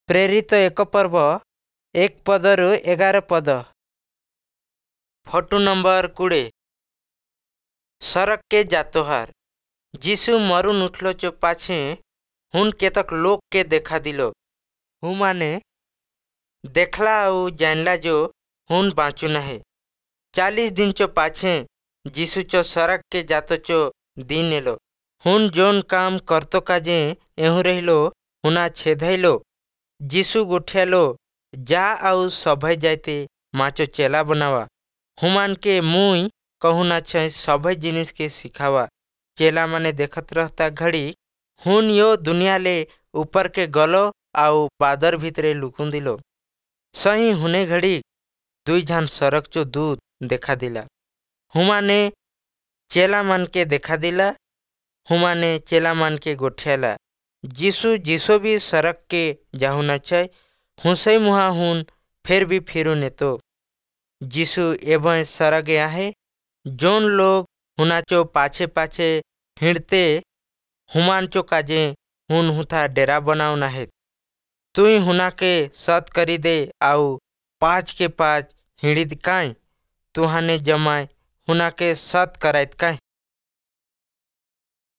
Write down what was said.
ପ୍ରେରିତ 1 ପର୍ବ, 1 ପଦରୁ 11 ପଦ। Photo number 20। ସରଗ के जातोहार। जीशु मरुन उठलो चो पाछे हुन केतक लोग के देखा दिलो। हुमाने देखला आउ जानला जो हुन बाँचू नहे। 40 दिन चो पाछे जीशु चो सरग के जातो चो दिन एलो। हुन जोन काम करतो काजे एहू रहिलो हुना छेधैलो। जीशु गोठियालो, जा आउ सभै जाइते माचो चेला बनावा, हुमान के मुई कहूना छै सभै जिनिस के सिखावा। चेला माने देखत रहता घड़ी हुन यो दुनिया ले ऊपर के गलो आउ बादर भीतरे लुकुन दिलो। सही हुने घड़ी दुई झन सरक चो दूत देखा दिला। हुमाने चेला मन के देखा दिला। हुमाने चेला मन के गोठियाला, जीशु जिसो भी सरक के जाहुना छै हुसै मुहा हुन फिर भी फिरू नेतो। जीशु एवं सरग आहे, जोन लोग हुनाचो पाछे पाछे हिंडते हुमान चो काजे हुन हुथा डेरा बनावना है। तुई हुना के सत करी दे आउ पाँच के पाँच हिंडित काई तुहाने जमाए हुना के सत करायत काई।